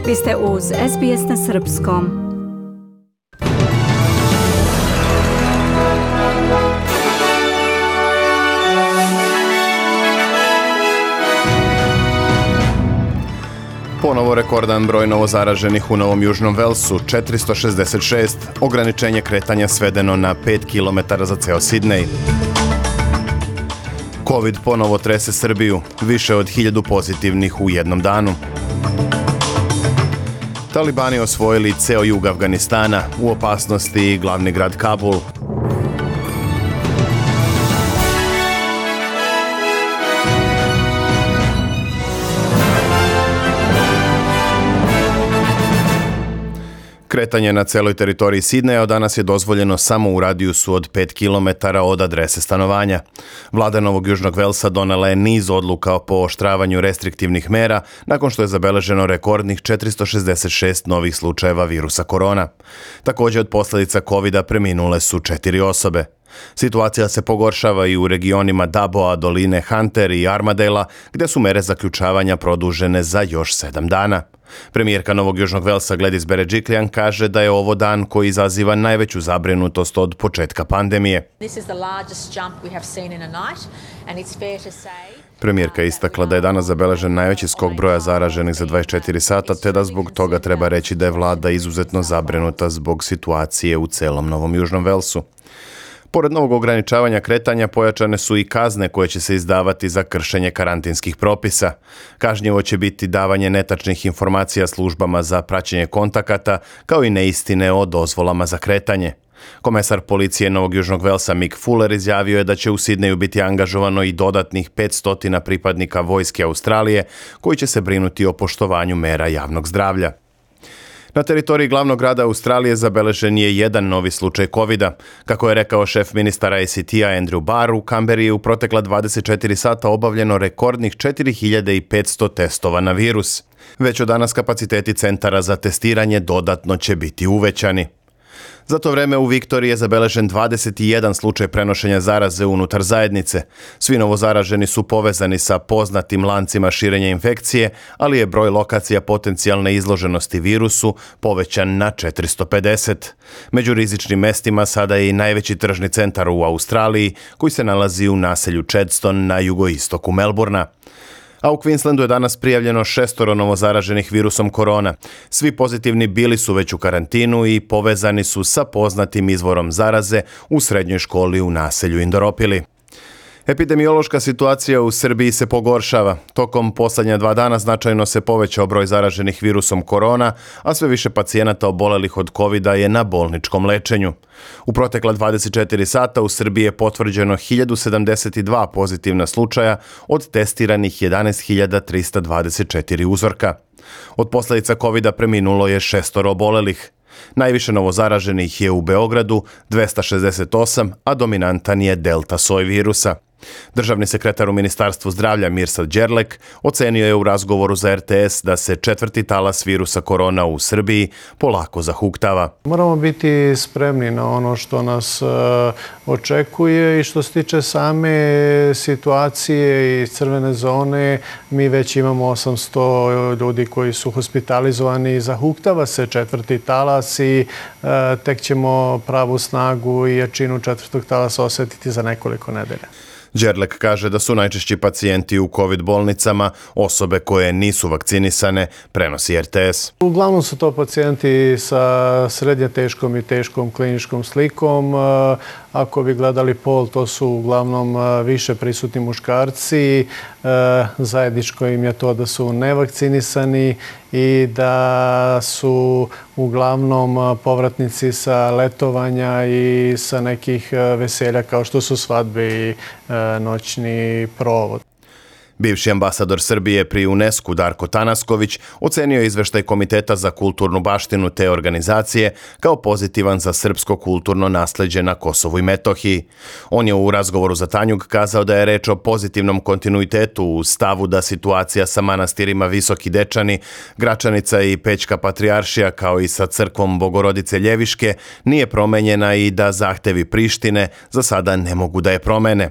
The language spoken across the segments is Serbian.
Vi ste uz SBS na srpskom. Ponovo rekordan broj novozaraženih u Novom Južnom Velsu, 466, ograničenje kretanja svedeno na 5 km za ceo Sidnej. Covid ponovo trese Srbiju, više od 1000 pozitivnih u jednom danu. Talibani osvojili ceo jug Afganistana, u opasnosti i glavni grad Kabul. Kretanje na celoj teritoriji Sidneja od danas je dozvoljeno samo u radijusu od 5 km od adrese stanovanja. Vlada Novog Južnog Velsa donela je niz odluka o pooštravanju restriktivnih mera nakon što je zabeleženo rekordnih 466 novih slučajeva virusa korona. Također od posljedica COVID-a preminule su 4 osobe. Situacija se pogoršava i u regionima Daboa, doline Hunter i Armadela, gdje su mere zaključavanja produžene za još 7 dana. Premijerka Novog Južnog Velsa Gladys Berejiklian kaže da je ovo dan koji izaziva najveću zabrinutost od početka pandemije. Premijerka je istakla da je danas zabeležen najveći skok broja zaraženih za 24 sata, te da zbog toga treba reći da je vlada izuzetno zabrinuta zbog situacije u celom Novom Južnom Velsu. Pored novog ograničavanja kretanja, pojačane su i kazne koje će se izdavati za kršenje karantinskih propisa. Kažnjivo će biti davanje netačnih informacija službama za praćenje kontakata, kao i neistine o dozvolama za kretanje. Komesar policije Novog Južnog Velsa Mick Fuller izjavio je da će u Sidneju biti angažovano i dodatnih 500 pripadnika vojske Australije, koji će se brinuti o poštovanju mera javnog zdravlja. Na teritoriji glavnog grada Australije zabeležen je jedan novi slučaj COVID-a. Kako je rekao šef ministara ACT-a Andrew Barr, u Kamberi je u protekla 24 sata obavljeno rekordnih 4500 testova na virus. Već od danas kapaciteti centara za testiranje dodatno će biti uvećani. Za to vreme u Viktoriji je zabeležen 21 slučaj prenošenja zaraze unutar zajednice. Svi novozaraženi su povezani sa poznatim lancima širenja infekcije, ali je broj lokacija potencijalne izloženosti virusu povećan na 450. Među rizičnim mestima sada je i najveći tržni centar u Australiji, koji se nalazi u naselju Chadstone na jugoistoku Melbourna. A u Queenslandu je danas prijavljeno 6 novozaraženih virusom korona. Svi pozitivni bili su već u karantinu i povezani su sa poznatim izvorom zaraze u srednjoj školi u naselju Indoropili. Epidemiološka situacija u Srbiji se pogoršava. Tokom posljednja 2 dana značajno se povećao broj zaraženih virusom korona, a sve više pacijenata obolelih od COVID-a je na bolničkom lečenju. U protekla 24 sata u Srbiji je potvrđeno 1072 pozitivna slučaja od testiranih 11.324 uzorka. Od posljedica COVID-a preminulo je 6 obolelih. Najviše novozaraženih je u Beogradu, 268, a dominantan je delta soj virusa. Državni sekretar u Ministarstvu zdravlja Mirsad Đerlek ocenio je u razgovoru za RTS da se 4. talas virusa korona u Srbiji polako zahuktava. Moramo biti spremni na ono što nas očekuje i što se tiče same situacije i crvene zone. Mi već imamo 800 ljudi koji su hospitalizovani. Zahuktava se 4. talas i tek ćemo pravu snagu i jačinu 4. talasa osjetiti za nekoliko nedelja. Đerlek kaže da su najčešći pacijenti u COVID bolnicama osobe koje nisu vakcinisane, prenosi RTS. Uglavnom su to pacijenti sa srednje teškom i teškom kliničkom slikom. Ako bi gledali pol, to su uglavnom više prisutni muškarci. Zajedničko im je to da su nevakcinisani i da su uglavnom povratnici sa letovanja i sa nekih veselja kao što su svadbe i noćni provod. Bivši ambasador Srbije pri UNESCO Darko Tanasković ocenio je izveštaj Komiteta za kulturnu baštinu te organizacije kao pozitivan za srpsko kulturno nasleđe na Kosovu i Metohiji. On je u razgovoru za Tanjug kazao da je reč o pozitivnom kontinuitetu u stavu da situacija sa manastirima Visoki Dečani, Gračanica i Pećka Patrijaršija kao i sa crkvom Bogorodice Ljeviške nije promenjena i da zahtevi Prištine za sada ne mogu da je promene.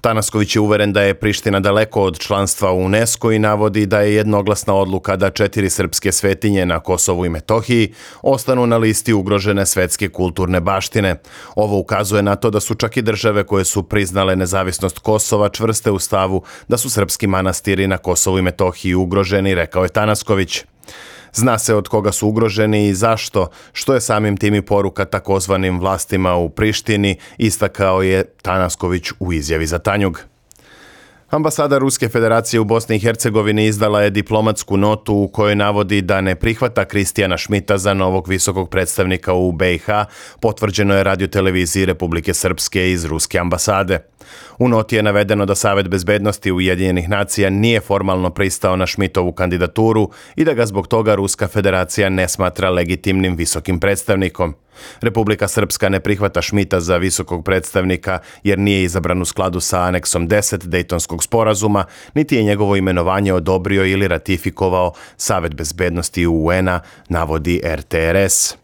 Tanasković je uveren da je Priština daleko od članstva u UNESCO i navodi da je jednoglasna odluka da 4 srpske svetinje na Kosovu i Metohiji ostanu na listi ugrožene svetske kulturne baštine. Ovo ukazuje na to da su čak i države koje su priznale nezavisnost Kosova čvrste u stavu da su srpski manastiri na Kosovu i Metohiji ugroženi, rekao je Tanasković. Zna se od koga su ugroženi i zašto, što je samim tim i poruka takozvanim vlastima u Prištini, istakao je Tanasković u izjavi za Tanjug. Ambasada Ruske federacije u Bosni i Hercegovini izdala je diplomatsku notu u kojoj navodi da ne prihvata Kristijana Šmita za novog visokog predstavnika u BiH, potvrđeno je radioteleviziji Republike Srpske iz Ruske ambasade. U noti je navedeno da Savet bezbednosti Ujedinjenih nacija nije formalno pristao na Šmitovu kandidaturu i da ga zbog toga Ruska federacija ne smatra legitimnim visokim predstavnikom. Republika Srpska ne prihvata Šmita za visokog predstavnika jer nije izabran u skladu sa aneksom 10 Dejtonskog sporazuma, niti je njegovo imenovanje odobrio ili ratifikovao Savet bezbednosti UN-a, navodi RTRS.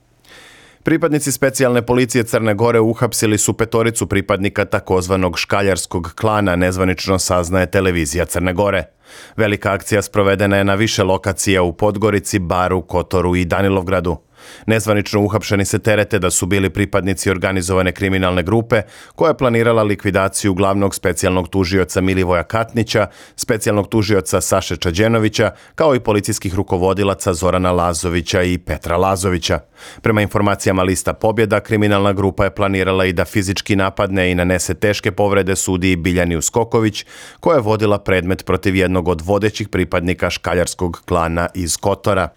Pripadnici specijalne policije Crne Gore uhapsili su 5 pripadnika takozvanog škaljarskog klana, nezvanično saznaje televizija Crne Gore. Velika akcija sprovedena je na više lokacija u Podgorici, Baru, Kotoru i Danilovgradu. Nezvanično uhapšeni se terete da su bili pripadnici organizovane kriminalne grupe koja je planirala likvidaciju glavnog specijalnog tužioca Milivoja Katnića, specijalnog tužioca Saše Čađenovića, kao i policijskih rukovodilaca Zorana Lazovića i Petra Lazovića. Prema informacijama lista Pobjeda, kriminalna grupa je planirala i da fizički napadne i nanese teške povrede sudiji Biljani Uskoković, koja je vodila predmet protiv jednog od vodećih pripadnika škaljarskog klana iz Kotora.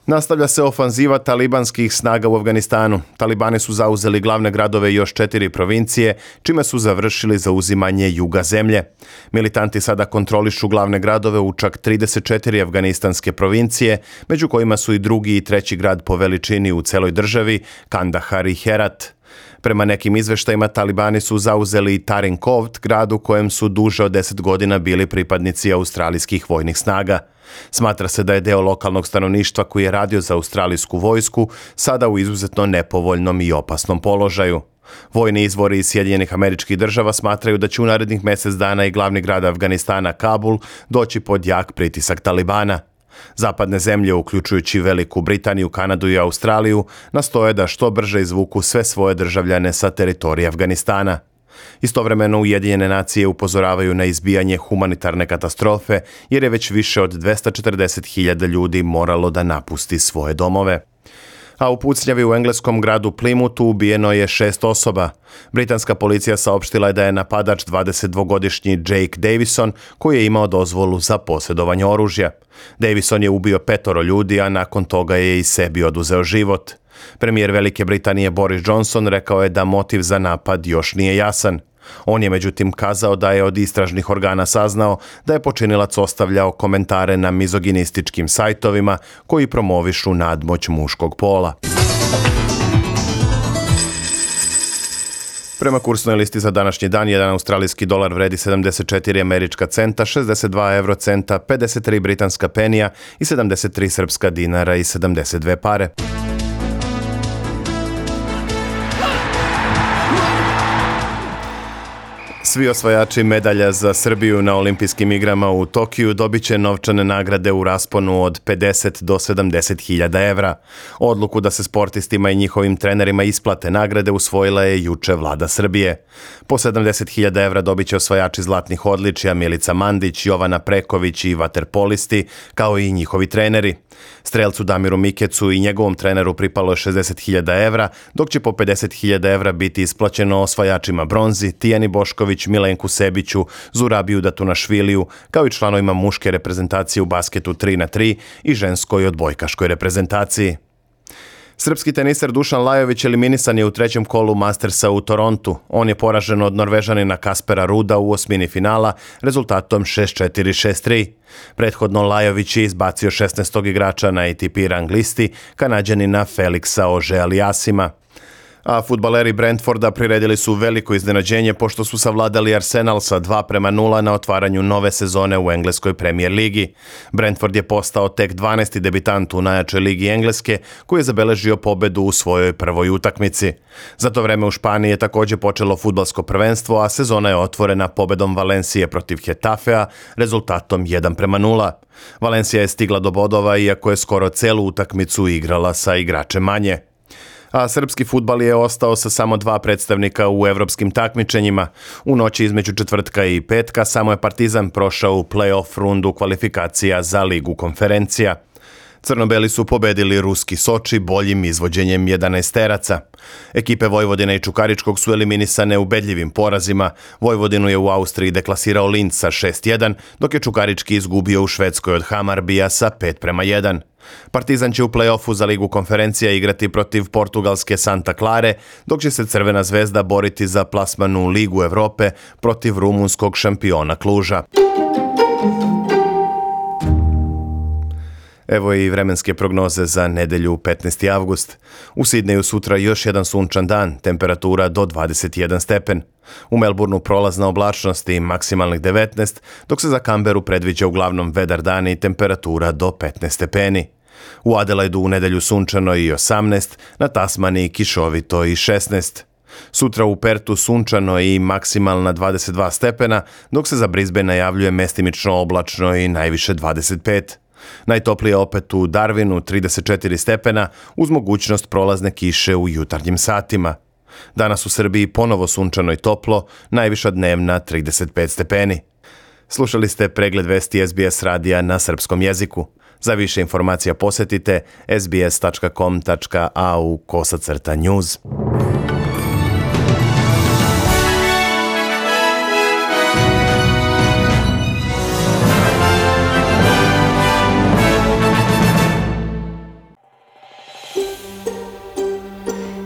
Nastavlja se ofanziva talibanskih snaga u Afganistanu. Talibani su zauzeli glavne gradove i još 4 provincije, čime su završili zauzimanje juga zemlje. Militanti sada kontrolišu glavne gradove u čak 34 afganistanske provincije, među kojima su i drugi i treći grad po veličini u celoj državi, Kandahar i Herat. Prema nekim izveštajima, Talibani su zauzeli i Tarin Kovt, grad u kojem su duže od 10 godina bili pripadnici australijskih vojnih snaga. Smatra se da je deo lokalnog stanovništva koji je radio za australijsku vojsku sada u izuzetno nepovoljnom i opasnom položaju. Vojni izvori iz Sjedinjenih Američkih Država smatraju da će u narednih mjesec dana i glavni grad Afganistana, Kabul, doći pod jak pritisak Talibana. Zapadne zemlje, uključujući Veliku Britaniju, Kanadu i Australiju, nastoje da što brže izvuku sve svoje državljane sa teritorija Afganistana. Istovremeno Ujedinjene nacije upozoravaju na izbijanje humanitarne katastrofe jer je već više od 240.000 ljudi moralo da napusti svoje domove. A u pucnjavi u engleskom gradu Plymouthu ubijeno je 6 osoba. Britanska policija saopštila je da je napadač 22-godišnji Jake Davison, koji je imao dozvolu za posjedovanje oružja. Davison je ubio 5 ljudi, a nakon toga je i sebi oduzeo život. Premijer Velike Britanije Boris Johnson rekao je da motiv za napad još nije jasan. On je međutim kazao da je od istražnih organa saznao da je počinilac ostavljao komentare na mizoginističkim sajtovima koji promovišu nadmoć muškog pola. Prema kursnoj listi za današnji dan, jedan australijski dolar vredi 74 američka centa, 62 eurocenta, 53 britanska penija i 73 srpska dinara i 72 pare. Svi osvajači medalja za Srbiju na olimpijskim igrama u Tokiju dobit će novčane nagrade u rasponu od 50 do 70.000 evra. Odluku da se sportistima i njihovim trenerima isplate nagrade usvojila je juče vlada Srbije. Po 70.000 evra dobit će osvajači zlatnih odličja Milica Mandić, Jovana Preković i vaterpolisti, kao i njihovi treneri. Strelcu Damiru Mikecu i njegovom treneru pripalo je 60.000 evra, dok će po 50.000 evra biti isplaćeno osvajačima bronzi, Tijani Bošković, Milenku Sebiću, Zurabiju Datunašviliju, kao i članovima muške reprezentacije u basketu 3x3 i ženskoj odbojkaškoj reprezentaciji. Srpski teniser Dušan Lajović eliminisan je u 3. kolu Mastersa u Torontu. On je poražen od Norvežanina Kaspera Ruda u osmini finala rezultatom 6-4, 6-3. Prethodno Lajović je izbacio 16. igrača na ATP rang listi, Kanađanina Felixa Auger-Aliassima. A fudbaleri Brentforda priredili su veliko iznenađenje pošto su savladali Arsenal sa 2:0 na otvaranju nove sezone u engleskoj Premier ligi. Brentford je postao tek 12. debitant u najjačoj ligi Engleske koji je zabeležio pobedu u svojoj prvoj utakmici. Za to vreme u Španiji je također počelo fudbalsko prvenstvo, a sezona je otvorena pobedom Valencije protiv Getafea rezultatom 1:0. Valencija je stigla do bodova iako je skoro celu utakmicu igrala sa igračem manje. A srpski fudbal je ostao sa samo 2 predstavnika u evropskim takmičenjima. U noći između četvrtka i petka samo je Partizan prošao u play-off rundu kvalifikacija za Ligu konferencija. Crnobeli su pobedili ruski Soči boljim izvođenjem 11-teraca. Ekipe Vojvodine i Čukaričkog su eliminisane ubedljivim porazima. Vojvodinu je u Austriji deklasirao Linz sa 6:1, dok je Čukarički izgubio u Švedskoj od Hamarbija sa 5:1. Partizan će u play-offu za Ligu konferencija igrati protiv portugalske Santa Clare, dok će se Crvena zvezda boriti za plasman u Ligu Evrope protiv rumunskog šampiona Kluža. Evo i vremenske prognoze za nedelju 15. avgust. U Sidneju sutra još jedan sunčan dan, temperatura do 21 stepen. U Melbourneu prolazna oblačnost i maksimalnih 19, dok se za Canberu predviđa uglavnom vedar dan i temperatura do 15 stepeni. U Adelaidu u nedelju sunčano i 18, na Tasmaniji kišovito i 16. Sutra u Pertu sunčano i maksimalna 22 stepena, dok se za Brisbane najavljuje mestimično oblačno i najviše 25. Najtoplije opet u Darwinu 34 stepena uz mogućnost prolazne kiše u jutarnjim satima. Danas u Srbiji ponovo sunčano i toplo, najviša dnevna 35 stepeni. Slušali ste pregled vesti SBS radija na srpskom jeziku. Za više informacija posjetite sbs.com.au/news.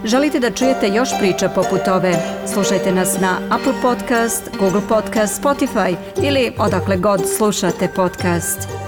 Želite da čujete još priča poput ove? Slušajte nas na Apple Podcast, Google Podcast, Spotify ili odakle god slušate podcast.